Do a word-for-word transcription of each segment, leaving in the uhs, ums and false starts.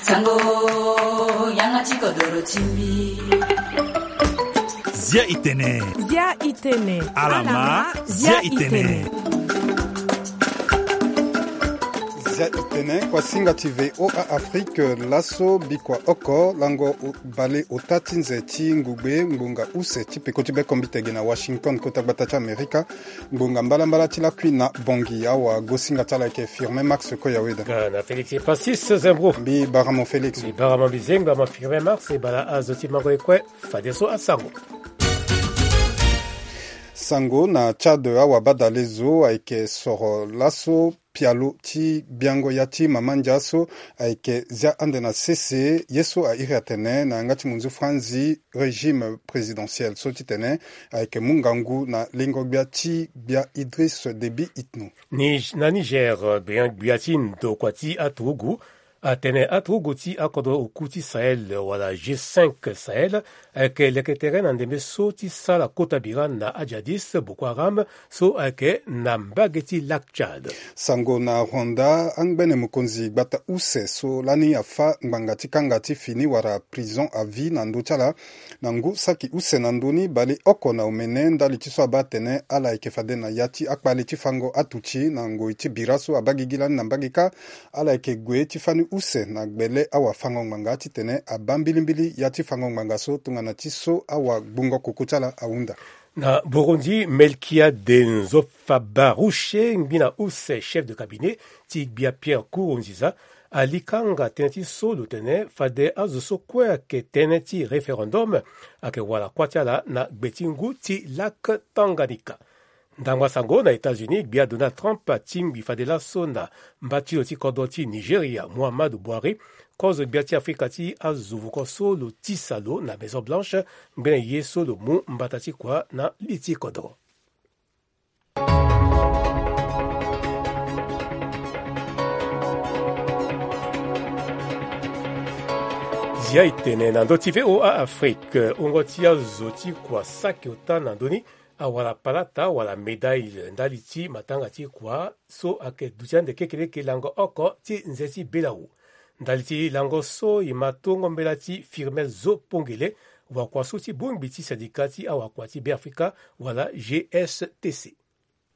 Sango, yanga ti kodoro ti mbi. Zia itene. Zia itene. Alama, zia itene. Zia itene, kuasinga ti V O A Afrique, laso bikua oko, lango bale ota ti nze ti ngugbe ngbonga use ti peko ti bekombite ge na Washington, kota gbata ti Amerika. Ngbonga mbalambala ti lakui na Bangui, awagosinga ti ala ayeke Firmin Max Koyaweda. Nga na Félix Epasis Zembro. Mbi bara mo Félix. Mbi bara mo mbi zengba mo Firmin Max, e bala azo ti mango e kue fadeso asango. Sango na Tchad, awabadale zo ayeke soro laso pialo ti gbiango ya ti mama ndia so ayeke zia ande na sese, ye so a iri atene na yanga ti monzu franzi régime présidentiel so titene ayeke mu ngangu na lengo gbia ti gbia Idriss Déby Itno. Ni-, na Niger, gbia, gbia ti ndokua ti aturugu atene aturugu ti akodro oku ti Sahel wala G cinq Sahel ayeke leke tere na ndembe so ti sara kota bira na ajihadiste Boko Haram so ayeke na mbage ti Lac Tchad. Sango na Rwanda, angbene mokonzi gbata use so lani afâ ngbanga ti kanga ti fini wala prison à vie na ndö ti ala na ngu saki use na ndö ni baleoko na omene ndali ti so abaa atene ala yeke fade na ya ti akpale ti fango atuti na ngoi ti bira so abaa gigi lani na mbage kâ. Ala yeke gue ti fani use na gbele awafango-ngbanga titene abaa mbilimbili ya ti fango-ngbanga so tongana ti so awagbungo koko ti ala ahunda. Na Burundi, Melchiade Nzofabarushe, ngbina use chef de cabinet ti gbia Pierre Nkurunziza, ali kanga tënë ti so lo tene fade azo so kue ayeke tënë ti référendum ayeke wara kuâ ti ala na gbe ti ngu ti Lac Tanganyika. Ndangba sango na États-Unis, gbia Donald Trump atingbi fade laso na mba ti lo ti kodro ti Nigeria, Muhammadu Buhari, kozo gbia ti Afrika ti azo vuko so lo tisa lo na Maison Blanche, ngbene ye so lo mu mbata ti kua na li ti kodro. Zia e tene na ndö ti V O A Afrique, wungo ti azo ti kua saki ota na ndö ni awara palata wala médaille ndali ti matanga ti kua so ayeke duti ande kekeleke lango oko ti nze ti belawu. Ndali ti lango so e ma tongo mbela ti Firmin Zo Pongele, wakua so ti bongbi ti syndicat ti awakua ti Beafrika wala G S T C.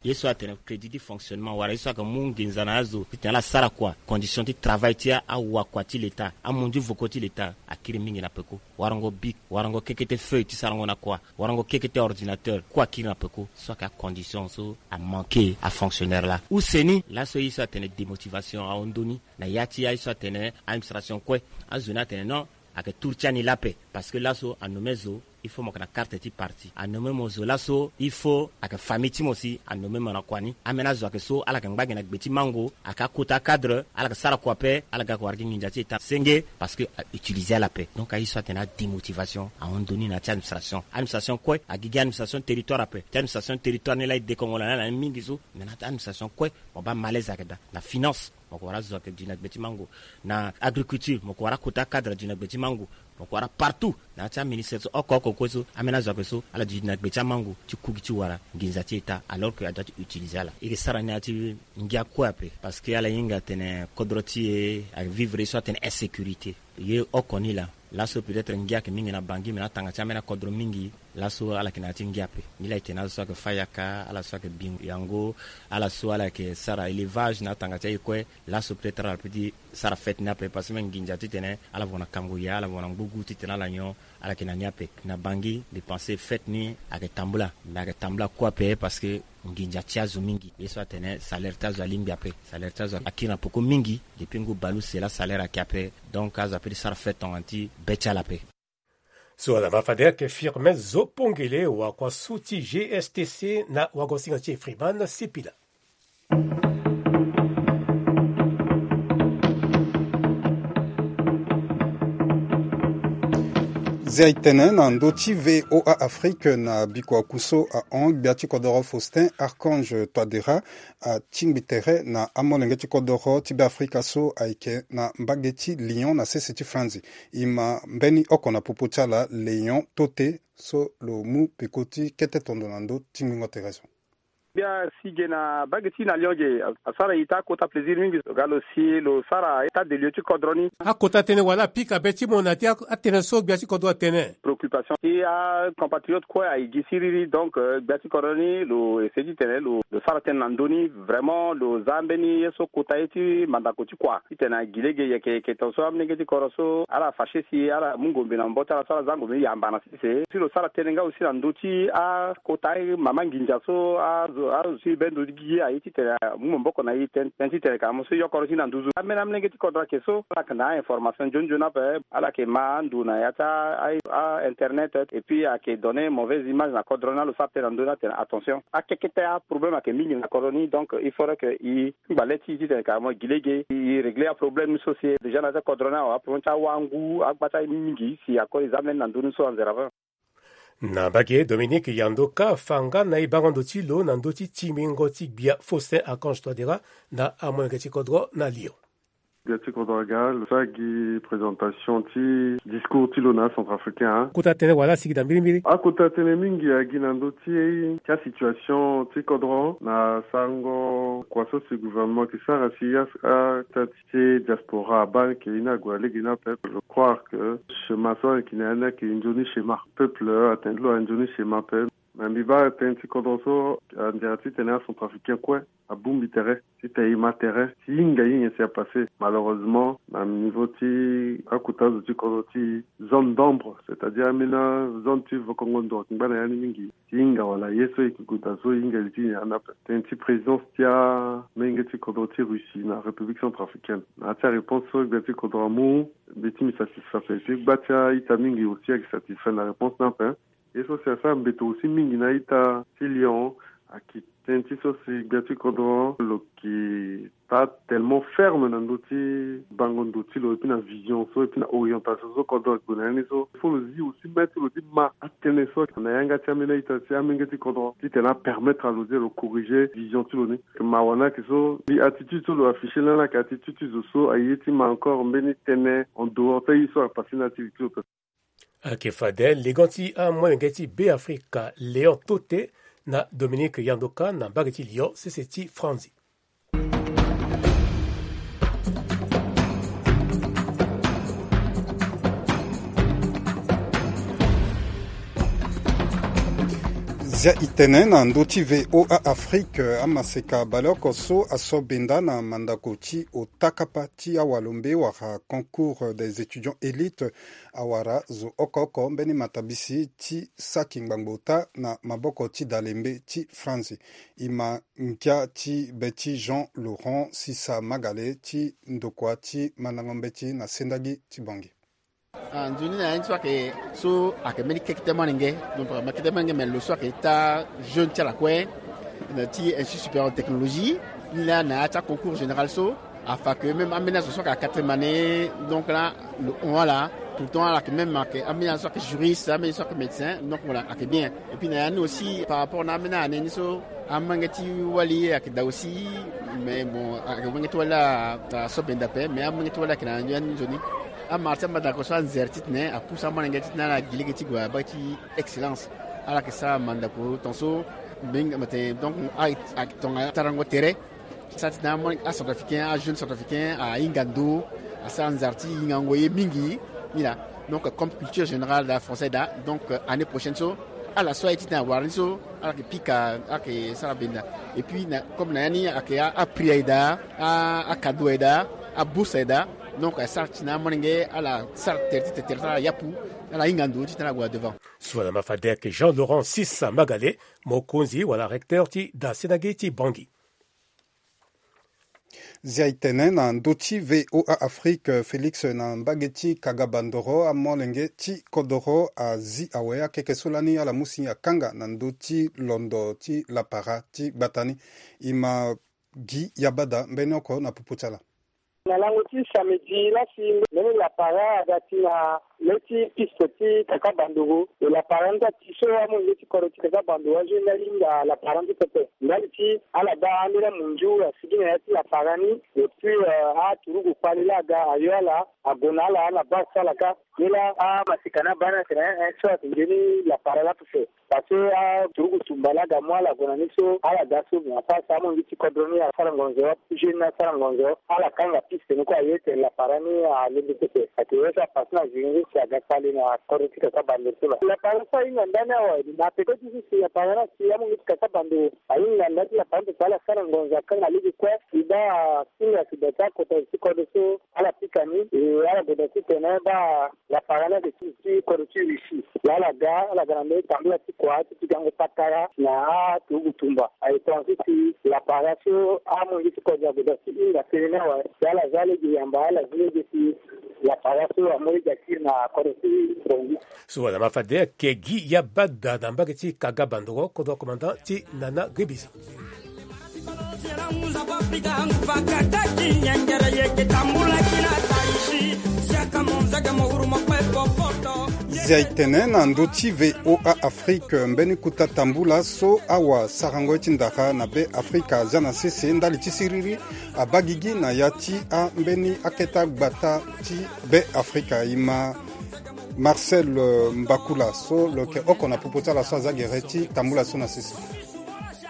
Ye so atene crédit ti fonctionnement wala ye so ayeke mu nginza na azo titene ala sara kua, condition ti travail ti awakua ti leta, amunzu voko ti leta akiri mingi na peko. Warango bic, warango kekete feuille ti sarango na kua, warango kekete ordinateur, kue akiri na peko. So ayeke acondition so amanke afonctionnaire laa. Use ni laso ye so atene démotivation ahon ndö ni na ya ti aye so atene administration kue. Azo ni atene non, ayeke tour ti ani laa ape. Parce que laso anomme zo, il faut mo yeke na carte ti parti. Anomme mo zo laso, il faut ayeke famille ti mo si anomme mo na kua ni. Ambeni azo ayeke so ala yeke ngba gi na gbe ti mango, ayeke akota acadre, ala yeke sara kua ape, ala ga yeke wara gi nginza ti état senge, parce que a utiliser ala ape. Donc aye so atene adémotivation ahon ndö ni na ya ti administration. Administration kue agi gi administration territoire ape. Ti administration territoire ni laa e dekongo na ni ala ni mingi so. Mais na ya ti administration kue mo baa malaise ayeke daa. Na finance, mo yeke wara azo ayeke duti na gbe ti mango. Na agriculture, mo yeke wara akota acadre aduti na gbe ti mango. Mo yeke wara partout na ya ti aministère so oko oko kue so, ambeni azo ayeke so ala duti na gbe ti amango ti ku gi ti wara nginza ti état, alors que adoit ti utiliser ala. E yeke sara ni na ya ti ngia kue ape, parce que ala hinga atene kodro ti e avivre ye so atene insécurité. Ye oko ni laa. Laso peut-être ngia ayeke mingi na Bangui, mais na atanga ti ambeni akodro mingi laso ala yeke na ya ti ngia ape. Nilaa e tene azo so ayeke fâ yaka, ala so ayeke bi yango, ala so ala yeke sara élevage na atanga ti aye kue. Laso peut-être ala peut ti sara fête ni ape, parce que même nginza titene ala voko na kango ya, ala voko na ngbugu titene ala nyon, ala yeke na ni ape. Na Bangui, mbi pense fête ni ayeke tambula, mais ayeke tambula kue ape, parce que nginza ti azo mingi. Ye so atene salaire ti azo alingbi ape. Salaire ti azo akiri na peko mingi. Depuis ngu baleuse laa salaire ayeke ape. Donc azo apeut ti sara fête tongana ti be ti ala ape. So ala ma fade ayeke Firmin Zo Pongele, wakua so ti G S T C na wagosinga ti e Freeman Sipila. Zia e tene na ndö ti V O A Afrique na bikua ku so ahon, gbia ti kodoro Faustin Archange Touadéra atingbi tere na amolenge ti kodoro ti Beafrika so ayeke na mbage ti Lyon na sese ti Franzi. E ma mbeni oko na popo ti ala Léon Toté so lo mu peko ti kete tondo na ndö ti ngbingo tere so. Gbia si ge na bage ti na Lyon ge asara ita akota plaisir mingi. Lo ga lo si lo sara état de lieu ti kodro ni. Akota tënë wala apika be ti mo na ti atënë so gbia ti kodro atene. Préoccupation ti acompatriote kue aye gi siriri. Donc gbia ti kodro ni lo ese ti tene lo sara tënë na ndö ni. Vraiment lo za mbeni ye so kota ye ti mandako ti kua titene agi lege yeke yeke tongaso amolenge ti kodro so ala fache si ala mu ngombe na mbo ti ala so ala za ngombe ni yamba na sese si lo sara tënë nga aussi na ndö ti akota mama nginza so azo azo si be ndo gi aye titene amu maboko na ye tënë titene ka mo so yokoro ti na nduzu. Ambeni amolenge ti kodro ayeke so ala yeke na a-information nzoni nzoni ape. Ala yeke ma ando na ya ti a-internet et puis ayeke donner mauvaise image na kodro ni. Alo sara tënë na ndö ni atene attention akekete aproblème ayeke mingi na kodro ni. Donc il faudrait que e ngba le ti e titene ka mo gi lege e régler aproblème ni so si déjà na ya ti kodro ni awa aproblème ti awangu agba ti aye mingi si ako e za mbeni na ndö ni so anzere ape. Na mbage Dominique Yandoka afa nga na e bango ndo ti lo na ndö ti timbingo ti gbia Faustin Archange Touadéra na amolenge ti kodro na Lyon. Gbia ti kodro aga lo sara gi présentation ti discours ti lo na acentrafricain. Akota tënë wala asigi na mbirimbiri. Akota tënë mingi agi na ndö ti ti asituation ti kodro na sarango kua so si gouvernement ayeke sara si ata ti diaspora abaa ni ke ye ni ague na lege ni ape. Je croire que schéma so ayeke na ya ni ayeke nzoni schéma. Peuple atene ti lo ayeke nzoni schéma ape. Me mbi baa tënë ti kodro so anzere titene acentrafricain kue abongbi tere titene e ma tere ti hinga hinga si apasse. Malheureusement na niveau ti akota zo ti kodro ti zone d'ombre, c'est-à-dire ambeni azone ti vokongo ndo ayeke ngba na ya ni mingi. Ti hinga wala ye so e yeke gue daa so e hinga li ti nyen anda ape. Tënë ti présidence ti amolenge ti kodro ti Russie na République centrafricaine na ya ti aréponse so gbia ti kodro amu. Mbi ti mbi satisfait ape ti gba ti a-ita mingi aussi ayeke satisfait na réponse ni ape. Ye so si asara mbeto aussi mingi na a-ita ti Lyon ayeke tënë ti so si gbia ti kodro lo yeke pas tellement ferme na ndö ti bango ndo ti lo et puis na vision so et puis na orientation so kodro ague na ya ni so. Il faut lo zi aussi mê ti lo ti ma atënë so na yanga ti ambeni a-ita ti amenge ti kodro titene apermettre na lo ti lo corriger vision ti lo ni. Mawa ni ayeke so mbi attitude so lo afficher lani ayeke attitude ti zo so aye ti ma encore mbeni tënë en dehors ti aye so apasse na ya ti li ti lo. Ayeke fade legon ti amolenge ti Beafrika Léon Tote na Dominique Yandoka na mbage ti Lyon sese ti Franzi. Zia itene na ndö ti V O A Afrique, amaseka baleoko so aso benda na mandako ti ota kapa ti awalombe wala concours des étudiants élites awara zo oko oko mbeni matabisi ti saki ngbangbo ota na maboko ti dalembe ti France. E ma ngia ti be ti Jean Laurent Sisa Magale ti ndokua ti mandango mbeti na sendagi ti Bangui. Ah, nzoni na ya ni so ayeke so ayeke mbeni kekete molenge. Donc ma kete molenge me lo so ayeke ita jeune ti ala kue na ti Institut Supérieur de Technologie ni laa na ya ti aconcours général so afa ke même ambeni azo so ayeke na quatrième année. Donc la lo hon ala tout le temps ala yeke même ayeke ambeni azo so ayeke juriste, ambeni so ayeke médecin. Donc voilà ayeke bien. Et puis na ya ni aussi par rapport na ambeni année ni so amolenge ti wali ayeke daa aussi. Mais bon ayeke molenge ti wali la aso benda ape mais amolenge ti wali ayeke na ya ni nzoni. Amara ti amandako so anzere titene apousse amolenge titene ala gi lege ti gue abaa ti excellence. Ala yeke sara mandako tongaso mbi hinga mbi atene donc ayeke tonga tarango tere. Sara titene acentrafricain ajeune centrafricain ahinga ndo asara nzara ti hingango ye mingi. Ni laa donc comme culture générale daa français daa. Donc année prochaine so ala so aye titene awara ni so ala yeke pika ala yeke sara benda. Et puis na comme na ya ni ayeke aprix aye daa, akado aye daa, abourse aye daa. Donc asara titene amolenge ala sara tere ti tere ti ala yapu ala hinga ndo titene ala gue na devant. So wala ma fade ayeke Jean Laurent Sisa Magale mokonzi wala recteur ti da sendagi ti Bangui. Zia itene na ndö ti V O A Afrique Félix na mbage ti Kagabandoro amolenge ti kodoro azi awe akeke so lani ala mu si akanga na ndö ti londo ti lapara ti gbata ni. E ma gi yabada mbeni oko na pupu ti ala. Na lango ti samedi lasi mbeni lapara aga ti na Lê ti piste ti Kaka Bandoro, e lapara ni so ati so amolenge ti kodro ti Kaka Bandoro azo ni ahinga lapara ni so pepe. Ndali ti ala baa ambeni amunzu asigi na ya ti lapara ni. Et puis, euh, aturugu kpali laa aga ayo ala, ague na ala na baa so ala kâ. Ni laa amaseka ni abaa ni atene, eh, eh, so ayeke nzoni lapara laa pepe. Parce que aturugu tumba laa aga mu ala gue na ni so ala ga so, mais afa so amolenge ti kodro ni asara ngonzo, ajeune ni asara ngonzo, ala kanga piste ni kue aye tene lapara ni alembe pepe. Ayeke ye so apasse na zingiri si aga kpale na kodro ti Kaka Bandoro so laa. Lapara so ahinga ndani awe, na peko ti so si lapara ni asi amolenge ti Kaka Bandoro ahinga ndani ti lapara ni pepe, ala sara ngonzo akanga lege kue, e baa asinga si da ti akota ti kodro so ala pika ni, e ala gue da titene baa lapara ni ayeke ti, ti kodro ti Russie. Laa ala ga, ala ga na ndö ti tambula ti kua ti ti gango patara na aturugu tumba. Aye tongaso si lapara so amolenge ti kodro ague da ti hinga tënë ni awe. Si ala za lege yamba, ala zi lege si lapara so amu lege akiri na kodro ti Bangui. So wala ma fade ayeke Guy Yabada na mbage ti Kaka Bandoro, kodro commandant ti Nana Grebisi. Zia e tene na ndö ti V O A Afrique, mbeni kota tambula so awasarango ye ti ndara na Be Afrika azia na sese ndali ti siriri abaa gigi na ya ti ambeni akete gbata ti Be Afrika. E ma Marcel, euh, Mbakula so lo yeke oko na popo ti ala so azia gere ti tambula so na sese.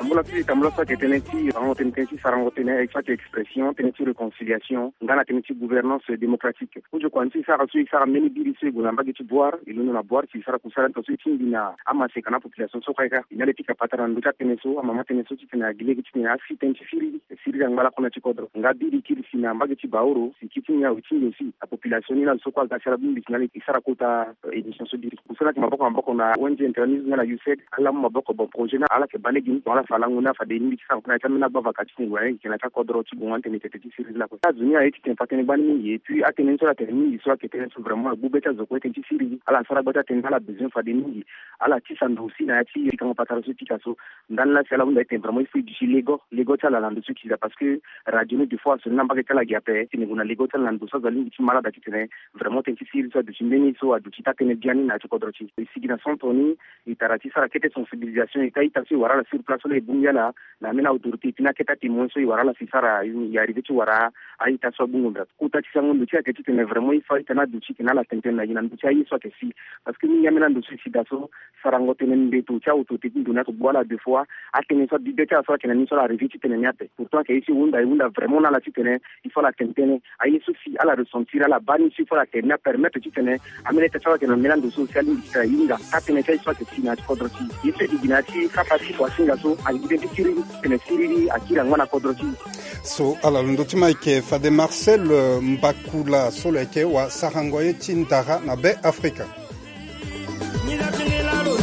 Tambula ti, tambula so ayeke tënë ti sarango tënë, tënë ti sarango tënë, so ayeke expression, tënë ti réconciliation nga na tënë ti gouvernance démocratique. Ojokua ni so e sara so, e sara mbeni biri so e gue na mbage ti Bouar, e londo na Bouar si e sara kusala ni tongaso e tingbi na amaseka na apopulation so kue kâ. E na le pika patara na ndö ti atënë so, amama tënë so titene agi lege titene asi tënë ti siriri, siriri angba lakue na ti kodro. Nga biri kiri si na mbage ti Baoro si kiti ni awe ti ndio si apopulation ni na lo so kue aga si ala bongbi si na le e sara kota, euh, émission so biri. Kusala ni ayeke maboko na maboko na O N G internationale nga na U S A I D, ala mu maboko. Bon, projet ni ala yeke baa lege ni, bon, ala fa lango ni, ala fa de ni ti sara na ya ti ambeni agbavaka ti ngonga ni, ayeke na ya ti akodro ti gongo ni tene tene ti siriri lakue. Azo ni aye titene fa tënë gbani mingi, et puis atënë ni so ala tene mingi so ayeke tënë so vraiment agbu be ti azo kue tënë ti siriri. Ala sara gba ti atënë ni, ala besoin fade mingi. Ala tisa ndo aussi na ya ti pikango patara so e pika so. Ndani laa si ala hunda titene vraiment il faut e duti lego, lego ti ala na ndo so e kiza, parce que radio ni des fois aso ni na mbage ti ala gi ape, titene e gue na lego ti ala na ndo so azo alingbi ti ma ala daa titene vraiment tënë ti siriri so aduti mbeni so aduti taa tënë biani na ya ti kodro ti e. E sigi na centre ni, e tara ti sara kete sensibilisation, e taa ita so e wara ala sur place so laa e bongbi ala na ambeni autorité, et puis na akete atémoin so e wara ala si e sara, e arrivé ti wara a-ita so abungo nda. Kota ti sango ndo ti e ayeke titene vraiment il faut a-ita ni aduti titene ala tene tënë na e na ndo ti aye so ayeke si. Parce que mingi ambeni ando so e si daa so, sarango tënë mbeto ti autorité ti ndo ni ayeke gbu ala deux fois. Atënë so abi be ti ala so ayeke na ni so ala arrivé ti tene ni ape. Pourtant ayeke ye so e hunda, e hunda vraiment na ala titene il faut ala tene tënë. Aye so si ala ressentir, ala baa ni so il faut ala tene ni apermettre titene ambeni ita so ayeke na mbeni ando so si alingbi titene ahinga taa tënë ti aye so ayeke si na ya ti kodro ti e. Ye so e gi na ya ti kapa ti kuasinga so, alingbi tënë ti siriri, titene siriri akiri angba na kodro ti e. So ala lo ndö ti ma ayeke fade Marcel, euh, Mbakula so lo yeke wasarango ye ti ndara na Be Afrika.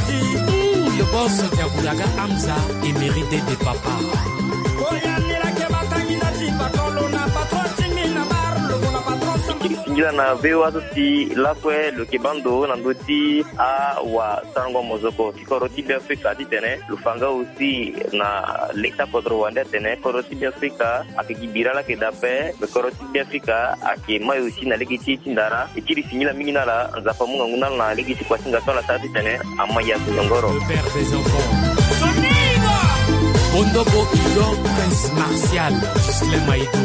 Hmm, le boss Diaboulaga Hamza, émérite de papa. Singila na V O A so si lakue lo yeke baa ndo na ndö ti awasarango mozoko ti kodro ti Be Afrika titene lo fa nga aussi na le ti akodro wande atene kodro ti Be Afrika ayeke gi bira laa ayeke daa ape, me kodro ti Be Afrika ayeke mai aussi na lege ti e ti ndara. E kiri singila mingi na ala, Nzapa amu ngangu na ala na lege ti kuasinga so ala sara titene ama ya so nyongoro. Le père des enfants. Bondo Bo Idor, Prince Martial, Ghislain Maïdo,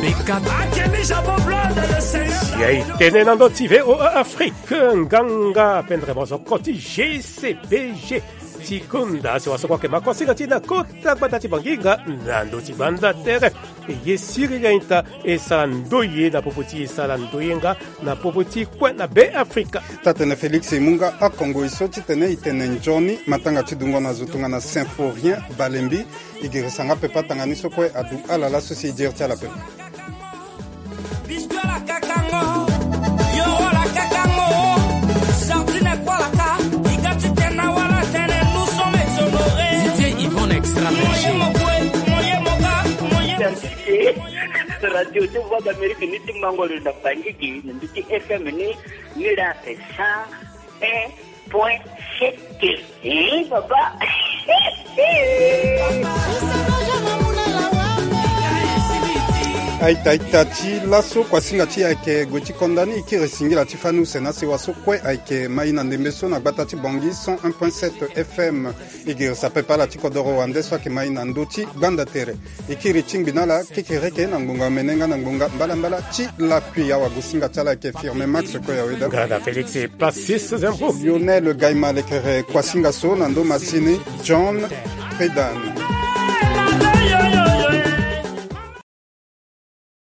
Bekat. Akemi Jabo Blood, le Seigneur. Si aye tene na ndö ti V O A Afrique, nganga pendre mozoko ti G C B G ti konda si wasoko ayeke ma kuasinga ti e na kota gbata ti Bangi nga na ndö ti banda tere. E ye siriri a-ita e sara ndoye na popo ti e, sara ndoye nga na popo ti kue na Be Afrika. Taa-tene Félix e mu nga akongoi so titene e tene nzoni matanga ti dungo na zo tongana Symphorien Balembi. E girisa nga pepe atanga ni so kue adu ala laso si e diri ti ala pepe. Biscuit ala kakango, yoro ala kakango, sardine kue ala ka, e ga ti tene na wala tene, nous sommes exonérés. D J Yvonne Extra Moyen Berger. Mo ye mo kue, mo ye mo ga, mo ye mo. Radio ti Voix d'Amérique ni ti mango lo na Bangui gi, na ndö ti F M ni, ni la asa. Eh, point sept. Eh, papa. Aita aita ti laso, kuasinga ti e ayeke gue ti konda ni. E kiri singila ti fani use na sewa so kue ayeke mai na ndembe so na gbata ti Bangui cent un point sept F M. E girisa pepe ala ti kodoro wande so ayeke mai na ndö ti gbanda tere. E kiri ti ngbi na ala kekereke na ngbonga omene nga na ngbonga mbalambala ti lakui. Awagosinga ti ala ayeke Firme Max Koyaweda. Grada Félix Passis Zempo. Lionel Gaima lekere kuasinga so na ndö masini John Pedan.